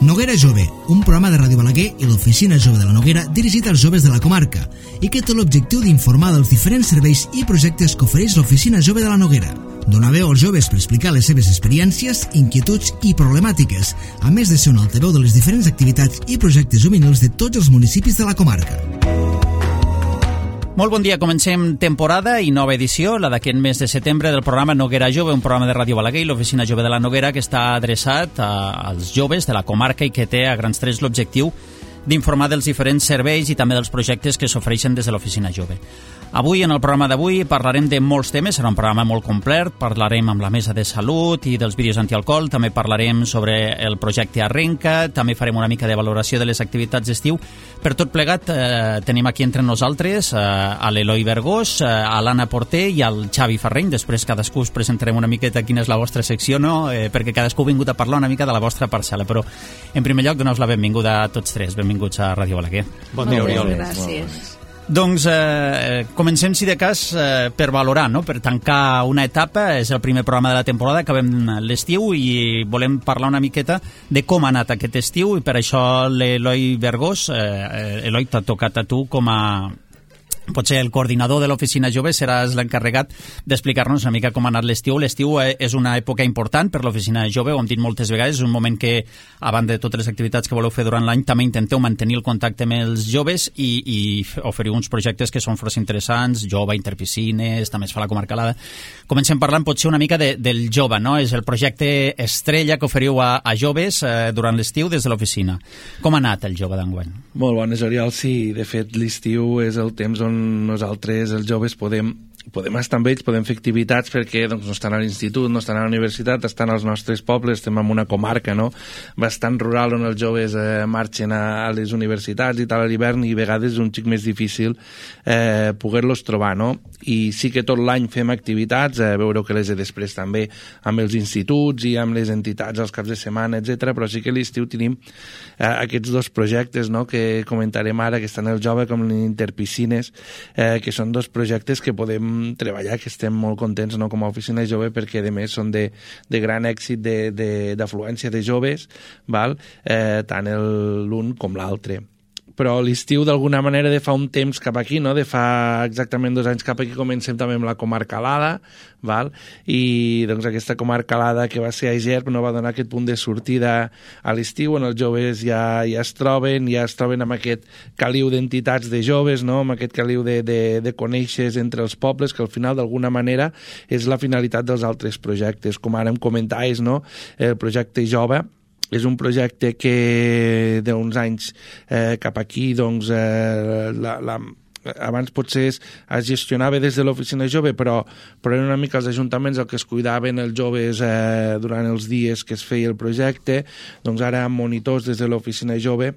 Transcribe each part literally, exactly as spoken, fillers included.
Noguera Jove, un programa de Ràdio Balaguer i l'Oficina Jove de la Noguera dirigit als joves de la comarca i que té l'objectiu d'informar dels diferents serveis i projectes que ofereix l'Oficina Jove de la Noguera. Donar veu als joves per explicar les seves experiències, inquietuds i problemàtiques, a més de ser un altaveu de les diferents activitats i projectes juvenils de tots els municipis de la comarca. Molt bon dia, comencem temporada i nova edició, la d'aquest mes de setembre del programa Noguera Jove, un programa de Ràdio Balaguer i l'Oficina Jove de la Noguera que està adreçat a, als joves de la comarca i que té a grans trets l'objectiu d'informar dels diferents serveis i també dels projectes que s'ofereixen des de l'Oficina Jove. Avui, en el programa d'avui, parlarem de molts temes, serà un programa molt complet, parlarem amb la mesa de salut i dels vídeos antialcohol, també parlarem sobre el projecte Arrenca, també farem una mica de valoració de les activitats d'estiu. Per tot plegat, eh, tenim aquí entre nosaltres eh, a l'Eloi Vergós, eh, a l'Anna Porter i al Xavi Ferreny. Després cadascú us presentarem una miqueta quina és la vostra secció, no? Eh, perquè cadascú ha vingut a parlar una mica de la vostra parcel·la, però en primer lloc donar-vos la benvinguda a tots tres. Benvinguts a Ràdio Balaguer. Bon dia, Oriol. Gràcies. Doncs eh, comencem, si de cas, eh, per valorar, no? Per tancar una etapa. És el primer programa de la temporada, acabem l'estiu i volem parlar una miqueta de com ha anat aquest estiu i per això l'Eloi Vergós, eh, Eloi, t'ha tocat a tu com a... potser el coordinador de l'Oficina Jove, seràs l'encarregat d'explicar-nos una mica com ha anat l'estiu. L'estiu és una època important per l'Oficina Jove, ho hem dit moltes vegades, és un moment que, a banda de totes les activitats que voleu fer durant l'any, també intenteu mantenir el contacte amb els joves i, i oferiu uns projectes que són força interessants, jove, interpiscines, també es fa la comarcalada. Comencem parlant potser una mica de, del jove, no? És el projecte estrella que oferiu a, a joves eh, durant l'estiu des de l'oficina. Com ha anat el jove d'enguany? Molt bones, Oriol. Sí, de fet, l'estiu és el temps on nosaltres, els joves, podem, podem estar amb ells, podem fer activitats perquè doncs, no estan a l'institut, no estan a la universitat, estan als nostres pobles, estem en una comarca no? bastant rural on els joves eh, marxen a, a les universitats i tal a l'hivern i a vegades és un xic més difícil eh, poder-los trobar, no? I sí que tot l'any fem activitats, eh, veureu que les he després també amb els instituts i amb les entitats als caps de setmana, etcètera. Però sí que a l'estiu tenim eh, aquests dos projectes no? que comentarem ara, que estan el jove com l'Interpiscines, eh, que són dos projectes que podem treballar, que estem molt contents no? com a oficina jove, perquè a més són de, de gran èxit d'afluència de, de, de joves, val? Eh, tant l'un com l'altre. Però l'estiu d'alguna manera de fa un temps cap aquí, no? De fa exactament dos anys cap aquí comencem també amb la comarcalada, val? I doncs aquesta comarcalada que va ser a Ger no va donar aquest punt de sortida a l'estiu on els joves ja, ja es troben, ja es troben amb aquest caliu d'entitats de joves, no? Amb aquest caliu de, de, de conèixer entre els pobles, que al final d'alguna manera és la finalitat dels altres projectes, com ara em comentaves, no? El projecte Jove és un projecte que d'uns anys eh, cap aquí doncs, eh, la, la, abans potser es, es gestionava des de l'Oficina Jove, però, però eren una mica els ajuntaments el que es cuidaven els joves eh, durant els dies que es feia el projecte. Doncs ara amb monitors des de l'Oficina Jove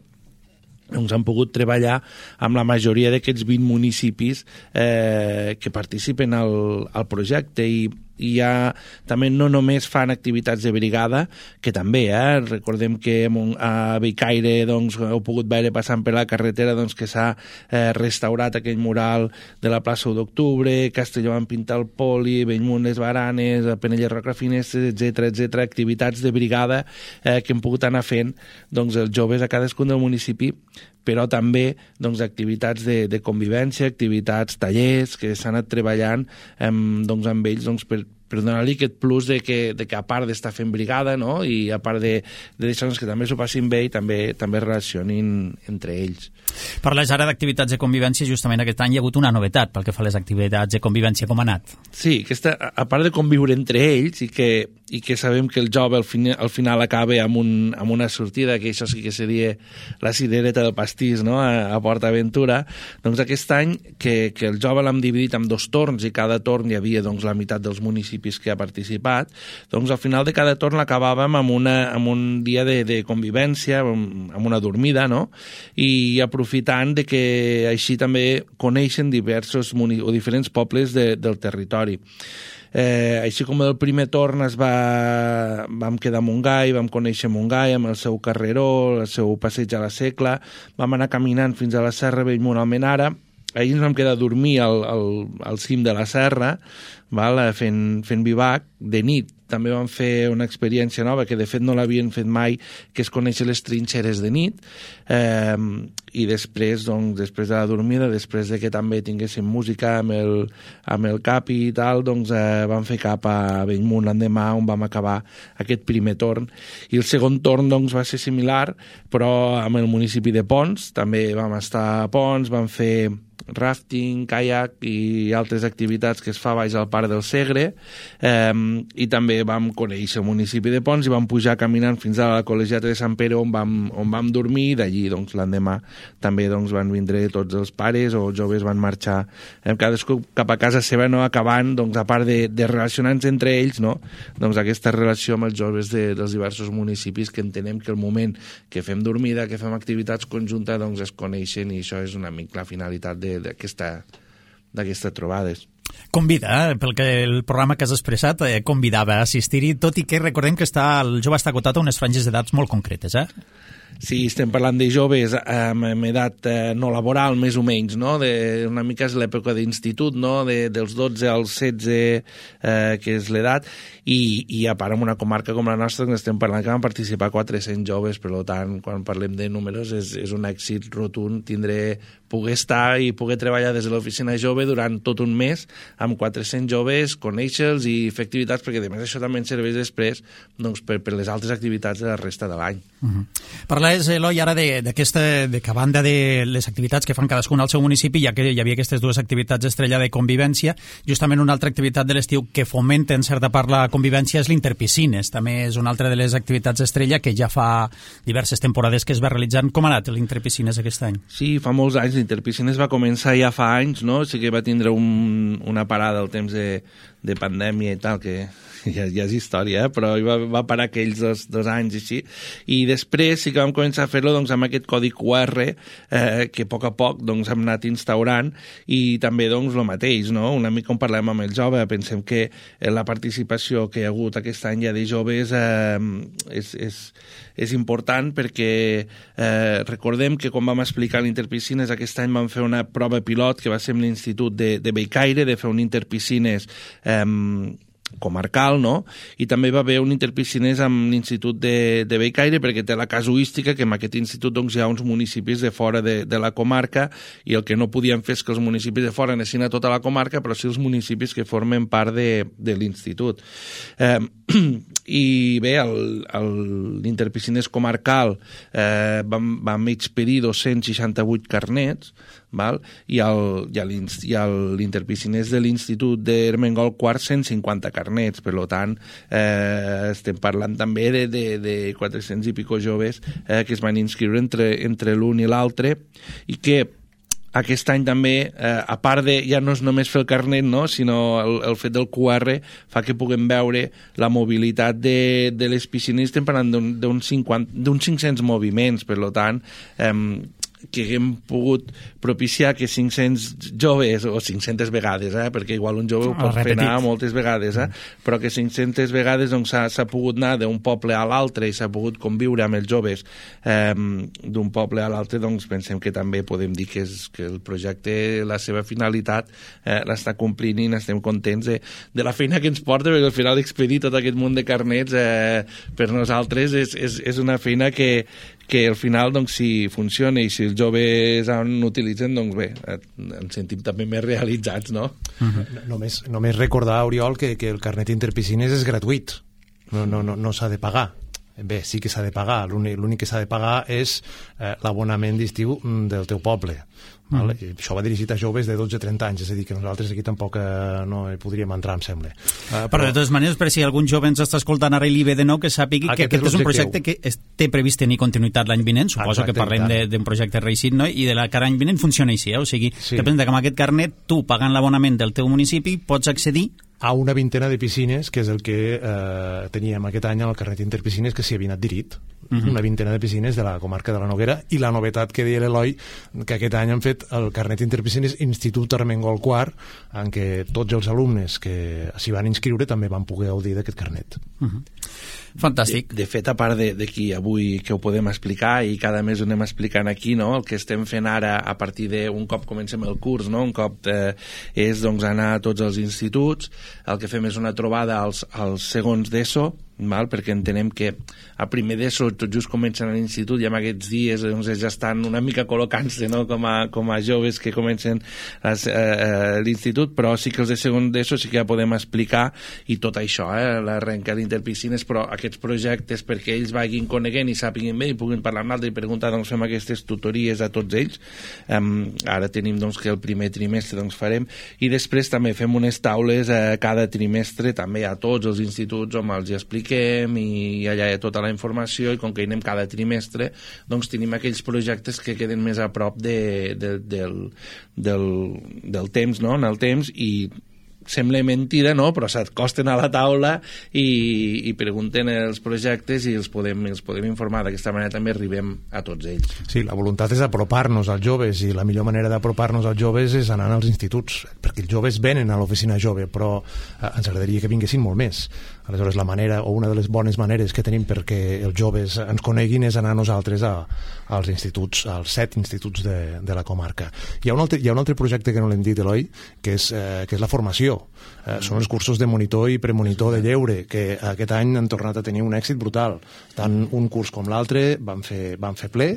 doncs han pogut treballar amb la majoria d'aquests vint municipis eh, que participen al, al projecte i i ja també no només fan activitats de brigada, que també, eh? Recordem que a Bellcaire doncs, heu pogut veure passant per la carretera doncs, que s'ha eh, restaurat aquell mural de la plaça u d'octubre, Castelló van pintar el poli, Bellmunt les baranes, Penelles Rocafinestres, etcètera, etcètera, activitats de brigada eh, que hem pogut anar fent doncs, els joves a cadascun del municipi, però també doncs, activitats de, de convivència, activitats, tallers, que s'han anat treballant eh, doncs, amb ells doncs, per, per donar-li aquest plus de que, de que a part d'estar fent brigada no? I a part de, de deixar-nos que també s'ho passin bé i també també relacionin entre ells. Parles ara d'activitats de convivència, justament aquest any hi ha hagut una novetat pel que fa a les activitats de convivència, com ha anat? Sí, aquesta, a part de conviure entre ells i que, i que sabem que el jove al, fin, al final acaba amb, un, amb una sortida, que això sí que seria la cirereta del pastís no? a, a Port Aventura, doncs aquest any que, que el jove l'hem dividit en dos torns i cada torn hi havia doncs, la meitat dels municipis que ha participat, doncs al final de cada torn acabàvem amb, una, amb un dia de, de convivència, amb, amb una dormida, no? I aprofitant de que així també coneixen diversos o diferents pobles de, del territori. Eh, així com el primer torn es va, vam quedar a Montgai, vam conèixer Montgai amb el seu carreró, el seu passeig a la Secla, vam anar caminant fins a la Serra Bellmunt Almenara, ahir ens vam quedar a dormir al, al, al cim de la serra, val? Fent, fent vivac de nit. també vam fer una experiència nova, que de fet no l'havien fet mai, que és conèixer les trinxeres de nit, eh, i després, doncs, després de la dormida, després de que també tinguéssim música amb el, amb el Capi i tal, doncs eh, vam fer cap a Bellmunt l'endemà, on vam acabar aquest primer torn. I el segon torn, doncs, va ser similar, però amb el municipi de Ponts, també vam estar a Ponts, vam fer rafting, kayak i altres activitats que es fa baix al Parc del Segre, eh, i també vam conèixer el municipi de Ponts i vam pujar caminant fins a la Col·legiata de Sant Pere, on vam, on vam dormir, i d'allí doncs, l'endemà també doncs, van vindre tots els pares o joves, van marxar eh, cadascú cap a casa seva, no? Acabant, doncs, a part de, de relacionar-nos entre ells, no? Doncs aquesta relació amb els joves de, dels diversos municipis, que entenem que el moment que fem dormida, que fem activitats conjuntes, doncs es coneixen, i això és una mica la finalitat de d'aquestes trobades. Convida, eh? Pel que el programa que has expressat, eh, convidava a assistir-hi, tot i que recordem que està, el jove està acotat a unes franges d'edats molt concretes, eh? Sí, estem parlant de joves amb edat eh, no laboral, més o menys, no? De, una mica és l'època d'institut, no? De, dels dotze als setze, eh, que és l'edat, i, i a part en una comarca com la nostra estem parlant que van participar quatre-cents joves, per tant, quan parlem de números és, és un èxit rotund tindré, poder estar i poder treballar des de l'oficina jove durant tot un mes amb quatre-cents joves, conèixer-los i fer activitats, perquè a més això també ens serveix després doncs, per, per les altres activitats de la resta de l'any. Uh-huh. Parlaves, Eloi, ara d'aquesta, de que a banda de les activitats que fan cadascun al seu municipi, ja que hi havia aquestes dues activitats estrella de convivència, justament una altra activitat de l'estiu que fomenta en certa part la convivència és l'Interpiscines. També és una altra de les activitats estrella que ja fa diverses temporades que es va realitzant. Com ha anat l'Interpiscines aquest any? Sí, fa molts anys. L'Interpiscines va començar ja fa anys, no? Sí que va tindre un, una parada al temps de, de pandèmia i tal, que ja, ja és història, eh? Però va, va parar aquells dos, dos anys així. I després sí que vam començar a fer-lo doncs, amb aquest codi Q R eh, que a poc a poc doncs, hem anat instaurant, i també doncs, el mateix, no? Una mica on parlem amb el jove, pensem que la participació que hi ha hagut aquest any ja de joves eh, és, és, és important, perquè eh, recordem que quan vam explicar l'Interpiscines aquest any vam fer una prova pilot que va ser amb l'Institut de, de Bellcaire, de fer un Interpiscines eh, comarcal, no? I també va haver un Interpiscines amb l'Institut de, de Bellcaire, perquè té la casuística que en aquest institut doncs, hi ha uns municipis de fora de, de la comarca, i el que no podien fer és que els municipis de fora anessin a tota la comarca, però sí els municipis que formen part de, de l'institut. Eh, I bé, l'Interpiscines comarcal eh, vam, vam expedir dos-cents seixanta-vuit carnets, val? I l'Interpiscines de l'Institut d'Ermengol Quart cent cinquanta carnets, per tant eh, estem parlant també de, de, de quatre-cents i pico joves eh, que es van inscriure entre, entre l'un i l'altre, i que aquest any també, eh, a part de, ja no és només fer el carnet, no? Sinó el, el fet del Q R fa que puguem veure la mobilitat de, de les piscines, estem parlant d'uns cinc-cents moviments, per tant, eh, que haguem pogut propiciar que cinc-cents joves, o cinc-centes vegades, eh, perquè igual un jove ho pot fer anar moltes vegades, eh, però que cinc-centes vegades doncs, s'ha pogut anar d'un poble a l'altre i s'ha pogut conviure amb els joves eh, d'un poble a l'altre, doncs pensem que també podem dir que, és, que el projecte, la seva finalitat eh, l'està complint, i n'estem contents de, de la feina que ens porta, perquè al final expedir tot aquest munt de carnets eh, per nosaltres és, és, és una feina que que al final, doncs, si funciona i si els joves en utilitzen, doncs bé, ens sentim també més realitzats, no? Uh-huh. Només, només recordar, Oriol, que, que el carnet Interpiscines és gratuït, no, no, no, no s'ha de pagar. Bé, sí que s'ha de pagar, l'únic que s'ha de pagar és eh, l'abonament d'estiu del teu poble. Val? Mm. Això va dirigit a joves de dotze a trenta anys, és a dir, que nosaltres aquí tampoc eh, no hi podríem entrar, em sembla. Uh, però, però de totes maneres, per si algun jove ens està escoltant ara i li ve de nou, que sàpigui que aquest és un projecte que es, té previst tenir continuïtat l'any vinent, suposo Exacte, que parlem d'un projecte reeixit, no? I de la que l'any vinent funciona així, eh? O sigui, sí. Que presenta que amb aquest carnet, tu, pagant l'abonament del teu municipi, pots accedir a una vintena de piscines, que és el que eh, teníem aquest any al carnet Interpiscines, que s'hi havia adherit. uh-huh. una vintena de piscines de la comarca de la Noguera, i la novetat que deia l'Eloi, que aquest any han fet el carnet interpiscines Institut Armengol Quart, en què tots els alumnes que s'hi van inscriure també van poder gaudir d'aquest carnet. Uh-huh. Fantàstic. De, de fet, a part d'aquí avui que ho podem explicar i cada mes ho anem explicant aquí, no? El que estem fent ara a partir d'un cop comencem el curs, no? Un cop eh, és doncs, anar a tots els instituts, el que fem és una trobada als, als segons d'ESO, val? Perquè entenem que a primer d'ESO tot just comencen a l'institut i en aquests dies doncs, ja estan una mica col·locant-se, no? com, a, com a joves que comencen les, eh, l'institut, però sí que els de segon d'ESO sí que ja podem explicar i tot això, eh? l'arrenca d'interpiscines, però aquests projectes perquè ells vagin coneguent i sàpiguen bé i puguin parlar amb l'altre i preguntar, doncs fem aquestes tutories a tots ells. Um, ara tenim doncs, que el primer trimestre doncs, farem, i després també fem unes taules eh, cada trimestre també a tots els instituts on els hi expliquem i allà hi ha tota la informació, i com que hi anem cada trimestre doncs tenim aquells projectes que queden més a prop de, de, del, del, del temps, no? en el temps, i sembla mentida, no? Però s'acosten a la taula i, i pregunten els projectes i els podem, els podem informar. D'aquesta manera també arribem a tots ells. Sí, la voluntat és apropar-nos als joves, i la millor manera d'apropar-nos als joves és anar als instituts, perquè els joves venen a l'oficina jove, però eh, ens agradaria que vinguessin molt més. Aleshores, la manera, o una de les bones maneres que tenim perquè els joves ens coneguin és anar nosaltres a, als instituts, als set instituts de, de la comarca. Hi ha un altre, hi ha un altre projecte que no l'hem dit, Eloi, que és, eh, que és la formació. Eh, són els cursos de monitor i premonitor de lleure, que aquest any han tornat a tenir un èxit brutal. Tant un curs com l'altre van fer, van fer ple,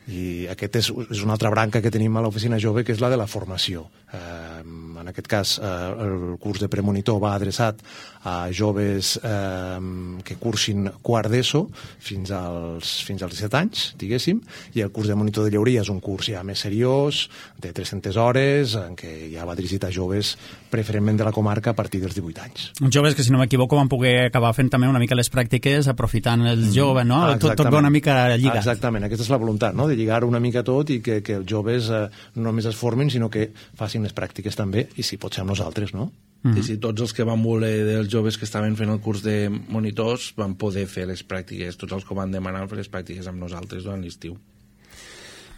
i aquest és, és una altra branca que tenim a l'oficina jove, que és la de la formació. Eh, en aquest cas, eh, el curs de premonitor va adreçat a joves eh, que cursin quart d'ESO fins als, fins als disset anys, diguéssim, i el curs de monitor de lleuria és un curs ja més seriós, de tres-centes hores, en què ja va dirigit a joves preferentment de la comarca a partir dels divuit anys. Joves que, si no m'equivoco, van poder acabar fent també una mica les pràctiques aprofitant els joves, no? Ah, tot, tot va una mica lligat. Exactament, aquesta és la voluntat, no? De lligar una mica tot i que, que els joves eh, no només es formin, sinó que facin les pràctiques també, i si pot ser amb nosaltres, no? Mm-hmm. I si tots els que van voler dels joves que estaven fent el curs de monitors van poder fer les pràctiques, tots els que van demanar fer les pràctiques amb nosaltres durant l'estiu.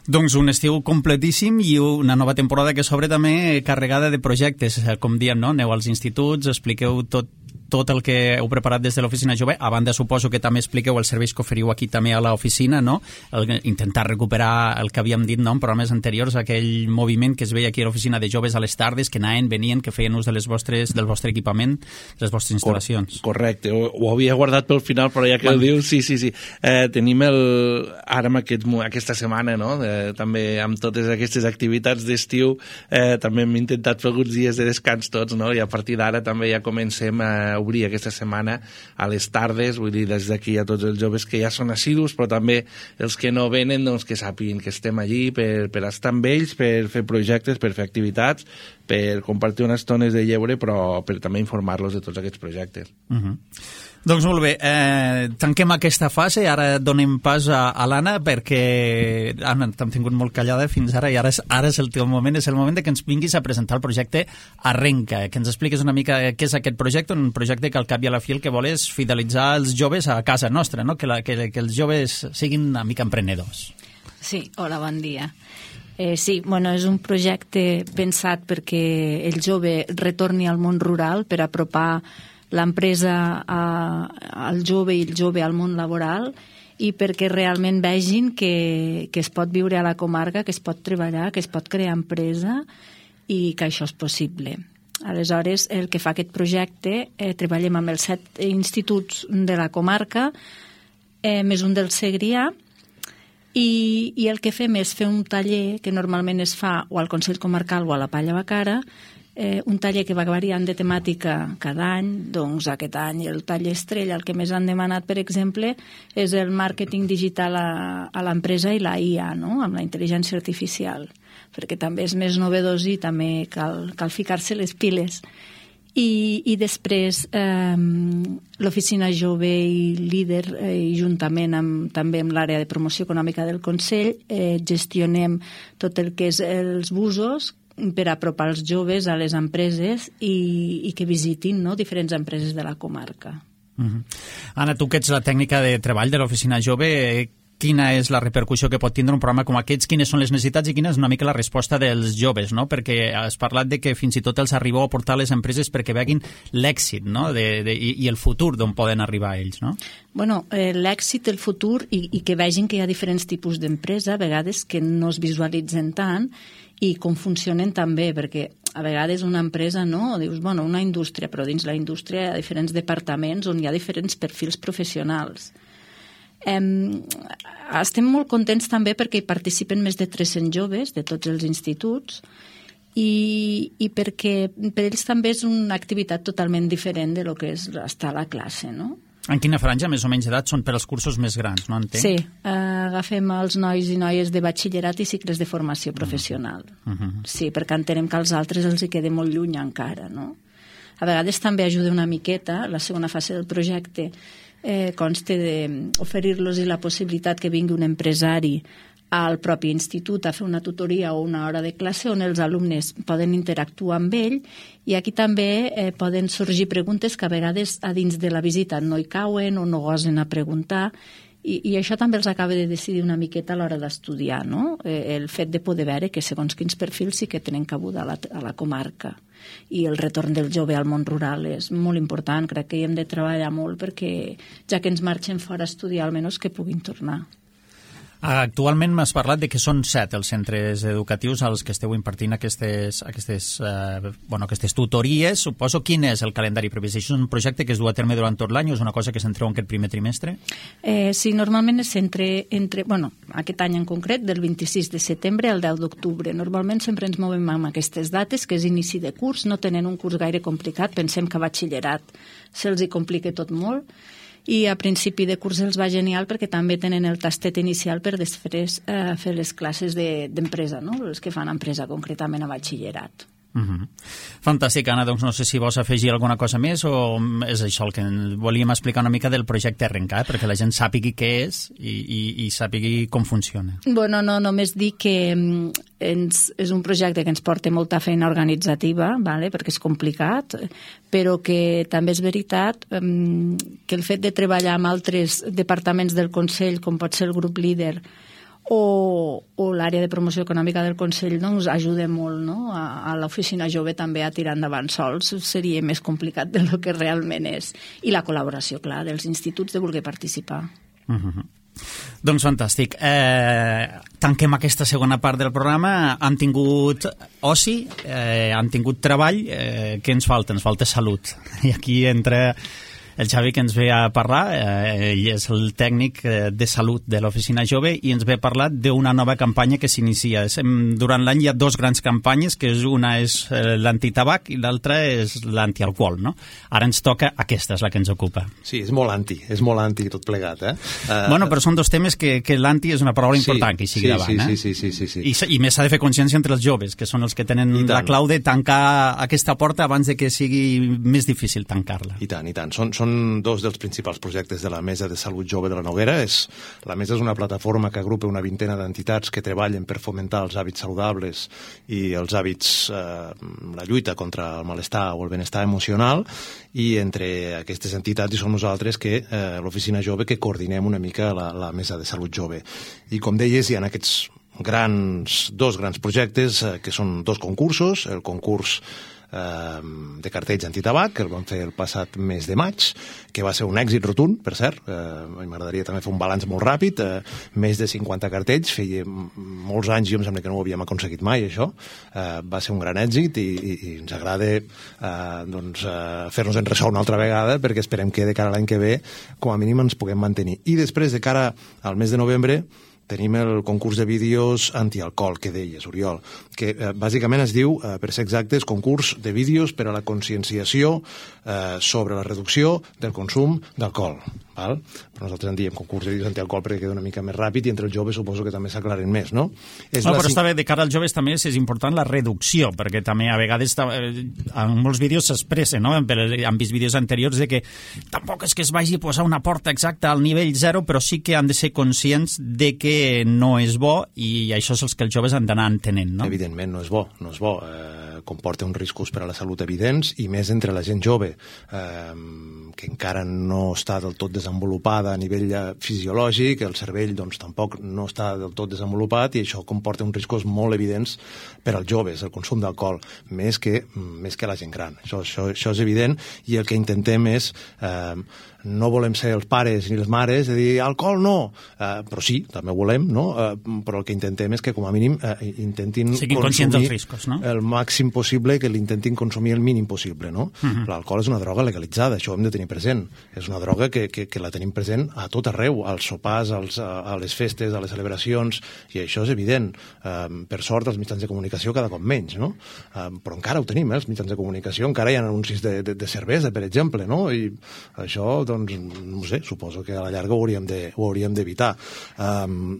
Doncs un estiu completíssim i una nova temporada que s'obre també carregada de projectes, com diem, no? Aneu als instituts, expliqueu tot, tot el que heu preparat des de l'oficina jove. A banda, suposo que també expliqueu els serveis que oferiu aquí també a l'oficina, no? El, intentar recuperar el que havíem dit, no? En programes anteriors, aquell moviment que es veia aquí a l'oficina de joves a les tardes, que anaven, venien, que feien ús de les vostres, del vostre equipament, de les vostres instal·lacions. Cor correcte, ho, ho havia guardat pel final, però ja que bueno. Ho dius, sí, sí, sí. Eh, tenim el, ara amb aquest, aquesta setmana, no? Eh, també amb totes aquestes activitats d'estiu, eh, també hem intentat fer alguns dies de descans tots, no? I a partir d'ara també ja comencem a obrir aquesta setmana a les tardes, vull dir, des d'aquí a tots els joves que ja són assidus, però també els que no venen, doncs que sàpiguen que estem allí per, per estar amb ells, per fer projectes, per fer activitats, per compartir unes estones de lleure, però per també informar-los de tots aquests projectes. Uh-huh. Doncs molt bé, eh, tanquem aquesta fase, ara donem pas a, a l'Anna, perquè Anna, t'hem tingut molt callada fins ara, i ara és, ara és el teu moment, és el moment de que ens vinguis a presentar el projecte Arrenca, que ens expliquis una mica què és aquest projecte, un projecte que al cap i a la fi el que vol és fidelitzar els joves a casa nostra, no? que, la, que, que els joves siguin una mica emprenedors. Sí, hola, bon dia. Eh, sí, bueno, és un projecte pensat perquè el jove retorni al món rural, per apropar l'empresa al jove i el jove al món laboral, i perquè realment vegin que, que es pot viure a la comarca, que es pot treballar, que es pot crear empresa i que això és possible. Aleshores, el que fa aquest projecte, eh, treballem amb els set instituts de la comarca, eh, més un del Segrià, i, i el que fem és fer un taller que normalment es fa o al Consell Comarcal o a la Palla Bacara, Eh, un taller que va variant de temàtica cada any. Doncs aquest any el taller estrella, el que més han demanat, per exemple, és el màrqueting digital a, a l'empresa i la I A, no? Amb la intel·ligència artificial, perquè també és més novedós i també cal, cal ficar-se les piles. I, i després eh, l'oficina jove i líder, eh, i juntament amb, també amb l'àrea de promoció econòmica del Consell, eh, gestionem tot el que és els busos per apropar els joves a les empreses i, i que visitin, no?, diferents empreses de la comarca. Uh-huh. Anna, tu que ets la tècnica de treball de l'Oficina Jove, quina és la repercussió que pot tindre un programa com aquests, quines són les necessitats i quina és una mica la resposta dels joves, no? Perquè has parlat de que fins i tot els arribeu a portar les empreses perquè veguin l'èxit, no? de, de, i, i el futur d'on poden arribar ells, no? Bueno, eh, l'èxit, el futur, i, i que vegin que hi ha diferents tipus d'empresa, a vegades que no es visualitzen tant i com funcionen també, perquè a vegades una empresa, no? Dius, bueno, una indústria, però dins la indústria hi ha diferents departaments on hi ha diferents perfils professionals. Eh, estem molt contents també perquè hi participen més de tres-cents joves de tots els instituts i, i perquè per ells també és una activitat totalment diferent de lo que és estar a la classe, no? En quina franja, més o menys, d'edat són per als cursos més grans, no entenc? Sí, eh, agafem els nois i noies de batxillerat i cicles de formació professional. Uh-huh. Sí, perquè entenem que als altres els hi queda molt lluny encara, no? A vegades també ajuda una miqueta, la segona fase del projecte eh, consta d'oferir-los la possibilitat que vingui un empresari al propi institut a fer una tutoria o una hora de classe on els alumnes poden interactuar amb ell i aquí també eh, poden sorgir preguntes que a vegades a dins de la visita no hi cauen o no gosen a preguntar i, i això també els acaba de decidir una miqueta a l'hora d'estudiar, no? Eh, el fet de poder veure que segons quins perfils sí que tenen cabuda a la, a la comarca i el retorn del jove al món rural és molt important, crec que hi hem de treballar molt perquè ja que ens marxen fora a estudiar almenys que puguin tornar. Actualment m'has parlat de que són set els centres educatius als que esteu impartint aquestes, aquestes, eh, bueno, aquestes tutories. Suposo quin és el calendari previst? Això és un projecte que es du a terme durant tot l'any o és una cosa que s'entreu en aquest primer trimestre? Eh, sí, normalment és entre, entre, bueno, aquest any en concret, del vint-i-sis de setembre al deu d'octubre. Normalment sempre ens movem amb aquestes dates, que és inici de curs, no tenen un curs gaire complicat, pensem que a batxillerat se'ls hi complica tot molt, i a principi de curs els va genial perquè també tenen el tastet inicial per després eh, fer les classes d'empresa, no? Els que fan empresa concretament a batxillerat. Uh-huh. Fantàstic, Anna, doncs no sé si vols afegir alguna cosa més o és això el que volíem explicar una mica del projecte Arrencar, perquè la gent sàpigui què és i, i, i sàpigui com funciona. Bueno, no, només dir que ens, és un projecte que ens porta molta feina organitzativa, vale? Perquè és complicat, però que també és veritat um, que el fet de treballar amb altres departaments del Consell, com pot ser el grup líder, o, o l'àrea de promoció econòmica del Consell doncs, ajuda molt, no? a, a l'Oficina Jove també a tirar endavant sols seria més complicat del que realment és, i la col·laboració, clar, dels instituts de voler participar. Uh-huh. Doncs fantàstic. Eh, tanquem aquesta segona part del programa. Han tingut oci, eh, han tingut treball. Eh, què ens falta? Ens falta salut. I aquí entra el Xavi, que ens ve a parlar, eh, ell és el tècnic de salut de l'Oficina Jove i ens ve a parlar d'una nova campanya que s'inicia. Durant l'any hi ha dos grans campanyes, que és una és l'antitabac i l'altra és l'antialcohol, no? Ara ens toca aquesta, és la que ens ocupa. Sí, és molt anti, és molt anti tot plegat, eh? Uh, bueno, però són dos temes que, que l'anti és una paraula sí, important que hi sigui sí, davant, sí, eh? Sí, sí, sí, sí, sí. I, I més s'ha de fer consciència entre els joves, que són els que tenen la clau de tancar aquesta porta abans de que sigui més difícil tancar-la. I tant, i tant. Són, són Són dos dels principals projectes de la Mesa de Salut Jove de la Noguera. És, la Mesa és una plataforma que agrupa una vintena d'entitats que treballen per fomentar els hàbits saludables i els hàbits, eh, la lluita contra el malestar o el benestar emocional, i entre aquestes entitats hi som nosaltres, que eh, l'Oficina Jove, que coordinem una mica la, la Mesa de Salut Jove. I com deies, hi ha aquests grans, dos grans projectes, eh, que són dos concursos, el concurs de cartells antitabac, que el vam fer el passat mes de maig, que va ser un èxit rotund, per cert. Eh, m'agradaria també fer un balanç molt ràpid. Eh, més de cinquanta cartells, feia molts anys, jo em sembla que no ho havíem aconseguit mai, això. Eh, va ser un gran èxit i, i, i ens agrada eh, doncs, eh, fer-nos en ressò una altra vegada, perquè esperem que de cara a l'any que ve, com a mínim, ens puguem mantenir. I després, de cara al mes de novembre, tenim el concurs de vídeos antialcohol, que deies, Oriol, que eh, bàsicament es diu, eh, per ser exactes, concurs de vídeos per a la conscienciació eh, sobre la reducció del consum d'alcohol. Val? Però nosaltres en diem concurs de vídeos antialcohol perquè queda una mica més ràpid i entre els joves suposo que també s'aclaren més, no? És no, la... però està bé, de cara als joves també és important la reducció, perquè també a vegades en molts vídeos s'expressa, no? Han vist vídeos anteriors de que tampoc és que es vagi a posar una porta exacta al nivell zero, però sí que han de ser conscients de que que no és bo i això és el que els joves han d'anar entenent, no? Evidentment, no és bo, no és bo. Eh, comporta uns riscos per a la salut evidents i més entre la gent jove, eh, que encara no està del tot desenvolupada a nivell fisiològic, el cervell doncs, tampoc no està del tot desenvolupat i això comporta uns riscos molt evidents per als joves, el consum d'alcohol, més que, més que la gent gran. Això, això, això és evident i el que intentem és... Eh, no volem ser els pares ni les mares de dir alcohol no, uh, però sí, també volem, no? Uh, però el que intentem és que com a mínim uh, intentin Siguin conscients dels riscos, no? El màxim possible, que l'intentin consumir el mínim possible, no? Uh -huh. L'alcohol és una droga legalitzada, això ho hem de tenir present. És una droga que, que, que la tenim present a tot arreu, als sopars, als, a, a les festes, a les celebracions, i això és evident. Uh, per sort, els mitjans de comunicació cada cop menys, no? Uh, però encara ho tenim, eh, els mitjans de comunicació, encara hi ha anuncis de, de, de cervesa, per exemple, no? I això, doncs, no sé, suposo que a la llarga ho hauríem de, ho hauríem d'evitar. Um,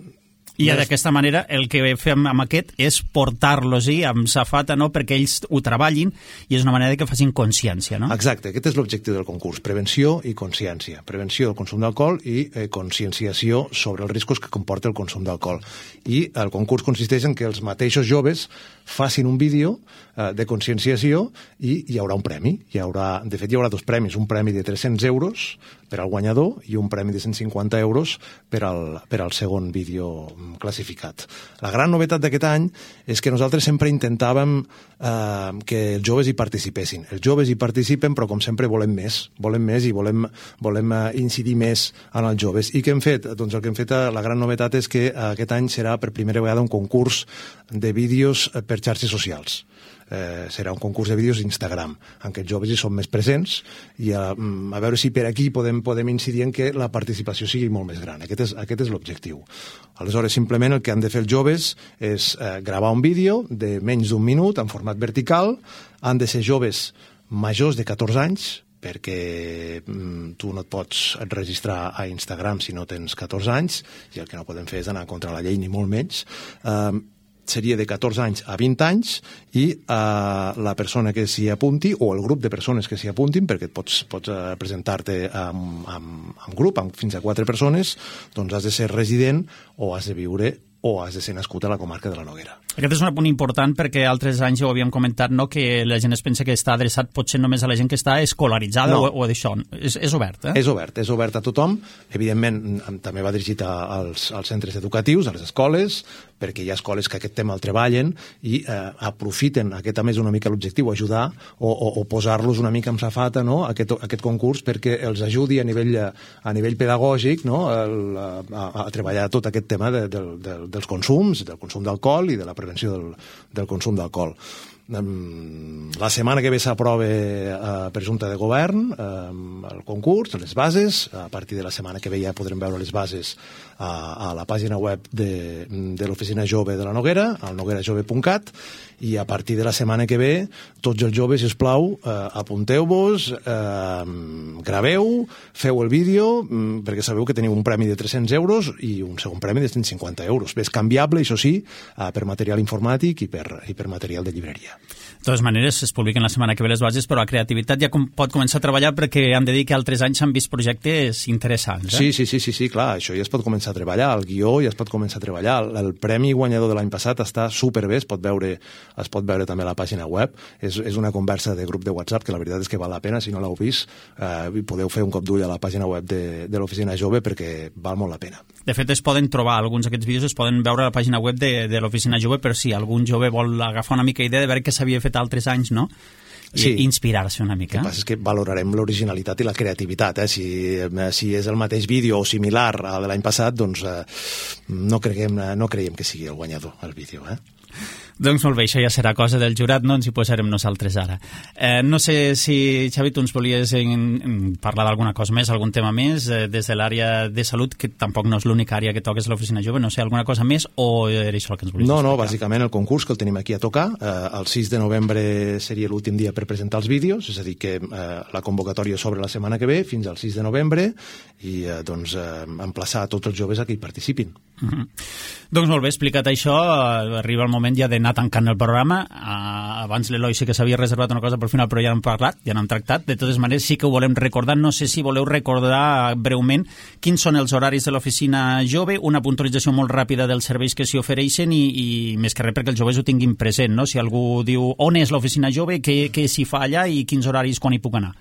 I d'aquesta manera el que fem amb aquest és portar-los-hi amb safata, no?, perquè ells ho treballin i és una manera que facin consciència, no? Exacte, aquest és l'objectiu del concurs, prevenció i consciència. Prevenció del consum d'alcohol i eh, conscienciació sobre els riscos que comporta el consum d'alcohol. I el concurs consisteix en que els mateixos joves facin un vídeo eh, de conscienciació i hi haurà un premi. Hi haurà, de fet, hi haurà dos premis, un premi de tres-cents euros per al guanyador i un premi de cent cinquanta euros per al, per al segon vídeo classificat. La gran novetat d'aquest any és que nosaltres sempre intentàvem eh, que els joves hi participessin. Els joves hi participen, però com sempre volem més. Volem més i volem, volem eh, incidir més en els joves. I què hem fet? Doncs el que hem fet, eh, la gran novetat és que eh, aquest any serà per primera vegada un concurs de vídeos eh, per xarxes socials. Eh, serà un concurs de vídeos d'Instagram, en què els joves hi són més presents i a, a veure si per aquí podem, podem incidir en que la participació sigui molt més gran. Aquest és, aquest és l'objectiu. Aleshores, simplement el que han de fer els joves és eh, gravar un vídeo de menys d'un minut en format vertical, han de ser joves majors de catorze anys, perquè mm, tu no et pots registrar a Instagram si no tens catorze anys, i el que no podem fer és anar contra la llei, ni molt menys. Eh, seria de catorze anys a vint anys i eh, la persona que s'hi apunti o el grup de persones que s'hi apuntin, perquè pots, pots eh, presentar-te amb, amb, amb grup, amb fins a quatre persones, doncs has de ser resident o has de viure o has de ser nascut a la comarca de la Noguera. Aquest és un punt important perquè altres anys ja ho havíem comentat, no?, que la gent es pensa que està adreçat potser només a la gent que està escolaritzada no. o, o d'això. És, és obert, eh? És obert, és obert a tothom. Evidentment, també va dirigit als, als centres educatius, a les escoles, perquè hi ha escoles que aquest tema el treballen i eh, aprofiten, aquest també és una mica l'objectiu, ajudar o, o, o posar-los una mica amb safata, no?, aquest, aquest concurs, perquè els ajudi a nivell, a nivell pedagògic, no?, el, a, a treballar tot aquest tema de, de, de, dels consums, del consum d'alcohol i de la prevenció del, del consum d'alcohol. La setmana que ve s'aprova eh, per Junta de Govern eh, el concurs, les bases. A partir de la setmana que ve ja podrem veure les bases a, a la pàgina web de, de l'Oficina Jove de la Noguera, al noguera jove punt cat, i a partir de la setmana que ve tots els joves, si us plau, eh, apunteu-vos, eh, graveu, feu el vídeo, mm, perquè sabeu que teniu un premi de tres-cents euros i un segon premi de cent cinquanta euros. És canviable, això sí, eh, per material informàtic i per, i per material de llibreria. De totes maneres, es publiquen la setmana que ve les bases, però la creativitat ja com pot començar a treballar, perquè hem de dir que altres anys s'han vist projectes interessants. Eh? Sí, sí, sí, sí, sí, clar, això ja es pot començar a treballar, el guió ja es pot començar a treballar. El, el premi guanyador de l'any passat està superbé, es pot veure, es pot veure també a la pàgina web. És, és una conversa de grup de WhatsApp que la veritat és que val la pena, si no l'heu vist, eh, podeu fer un cop d'ull a la pàgina web de, de l'Oficina Jove, perquè val molt la pena. De fet, es poden trobar, alguns d'aquests vídeos es poden veure a la pàgina web de, de l'Oficina Jove, per si algun jove vol agafar una mica idea de veure què s'havia fet altres anys, no? I sí. Inspirar-se una mica. El que passa és que valorarem l'originalitat i la creativitat. Eh? Si, si és el mateix vídeo o similar al de l'any passat, doncs eh, no, creiem, no creiem que sigui el guanyador, el vídeo. Eh? Doncs molt bé, això ja serà cosa del jurat, no ens hi posarem nosaltres ara. Eh, no sé si, Xavi, tu ens volies en, en parlar d'alguna cosa més, algun tema més, eh, des de l'àrea de salut, que tampoc no és l'única àrea que toques l'Oficina Jove, no sé, alguna cosa més, o era això el que ens volies no, explicar? No, bàsicament el concurs que el tenim aquí a tocar, eh, el sis de novembre seria l'últim dia per presentar els vídeos, és a dir, que eh, la convocatòria s'obre la setmana que ve, fins al sis de novembre, i eh, doncs eh, emplaçar a tots els joves a que hi participin. Mm-hmm. Doncs molt bé, explicat això, arriba el moment ja d'anar tancant el programa. Uh, abans l'Eloi sí que s'havia reservat una cosa, però al final però ja n'hem parlat, ja n'hem tractat. De totes maneres sí que ho volem recordar. No sé si voleu recordar breument quins són els horaris de l'oficina jove, una puntualització molt ràpida dels serveis que s'hi ofereixen i, i més que res perquè els joves ho tinguin present, no? Si algú diu on és l'oficina jove, què, què s'hi fa allà i quins horaris, quan hi puc anar.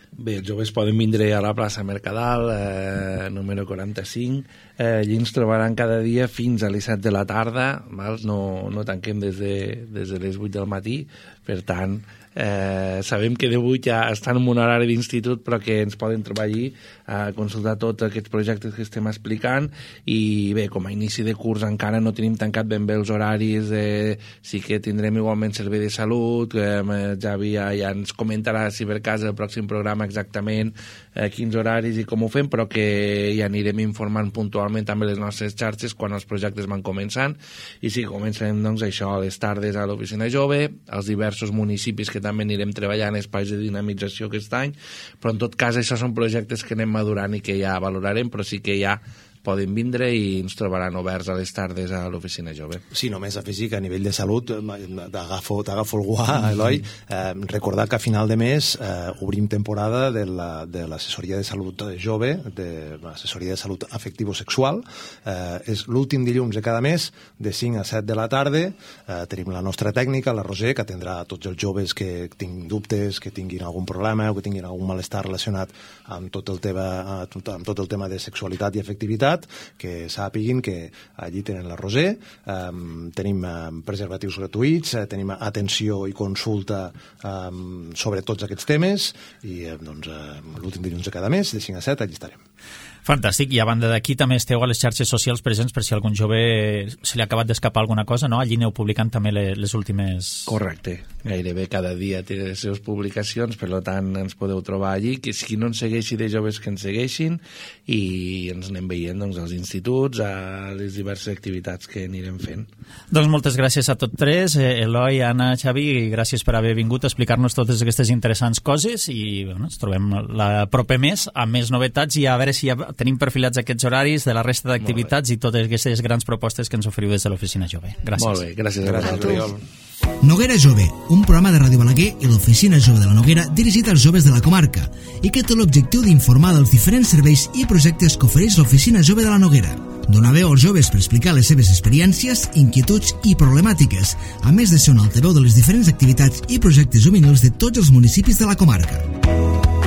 Bé, els joves poden vindre a la plaça Mercadal, eh, número quaranta-cinc. Eh, allí ens trobaran cada dia fins a les set de la tarda, val? No, no tanquem des de, des de les vuit del matí, per tant, eh, sabem que de vuit ja estan en un horari d'institut, però que ens poden trobar allí a consultar tots aquests projectes que estem explicant. I bé, com a inici de curs encara no tenim tancat ben bé els horaris, eh, sí que tindrem igualment servei de salut, eh, Javi ja, ja ens comentarà si per cas el pròxim programa exactament eh, quins horaris i com ho fem, però que ja anirem informant puntualment també les nostres xarxes quan els projectes van començant. I sí, començarem doncs això a les tardes a l'oficina jove, als diversos municipis que també anirem treballant espais de dinamització aquest any, però en tot cas això són projectes que anem madurant i que ja valorarem, però sí que ja poden vindre i ens trobaran oberts a les tardes a l'oficina jove. Sí, només afegir que a nivell de salut t'agafo el guà, Eloi, eh, recordar que a final de mes eh, obrim temporada de l'assessoria la, de salut jove, de l'assessoria de salut afectivo-sexual. Eh, és l'últim dilluns de cada mes, de cinc a set de la tarda. Eh, tenim la nostra tècnica, la Roser, que atendrà tots els joves que tinguin dubtes, que tinguin algun problema o que tinguin algun malestar relacionat amb tot el tema, amb tot el tema de sexualitat i afectivitat, que sàpiguin que allí tenen la Roser, um, tenim um, preservatius gratuïts, uh, tenim atenció i consulta um, sobre tots aquests temes i uh, doncs, uh, l'últim dilluns de cada mes, de cinc a set, allí estarem. Fantàstic, i a banda d'aquí també esteu a les xarxes socials presents per si algun jove se li ha acabat d'escapar alguna cosa, no? Allí aneu publicant també les, les últimes... Correcte, gairebé cada dia té les seves publicacions, per tant ens podeu trobar allí, que si no ens segueixi de joves que ens segueixin i ens anem veient doncs, als instituts, a les diverses activitats que anirem fent. Doncs moltes gràcies a tots tres, Eloi, Anna, Xavi, i gràcies per haver vingut a explicar-nos totes aquestes interessants coses i bueno, ens trobem la proper mes amb més novetats i a veure si ja tenim perfilats aquests horaris de la resta d'activitats i totes aquestes grans propostes que ens oferiu des de l'Oficina Jove. Gràcies. Molt bé, gràcies a vosaltres. Noguera Jove, un programa de Ràdio Balaguer i l'Oficina Jove de la Noguera dirigit als joves de la comarca i que té l'objectiu d'informar dels diferents serveis i projectes que ofereix l'Oficina Jove de la Noguera. Donar veu als joves per explicar les seves experiències, inquietuds i problemàtiques, a més de ser un altaveu de les diferents activitats i projectes juvenils de tots els municipis de la comarca.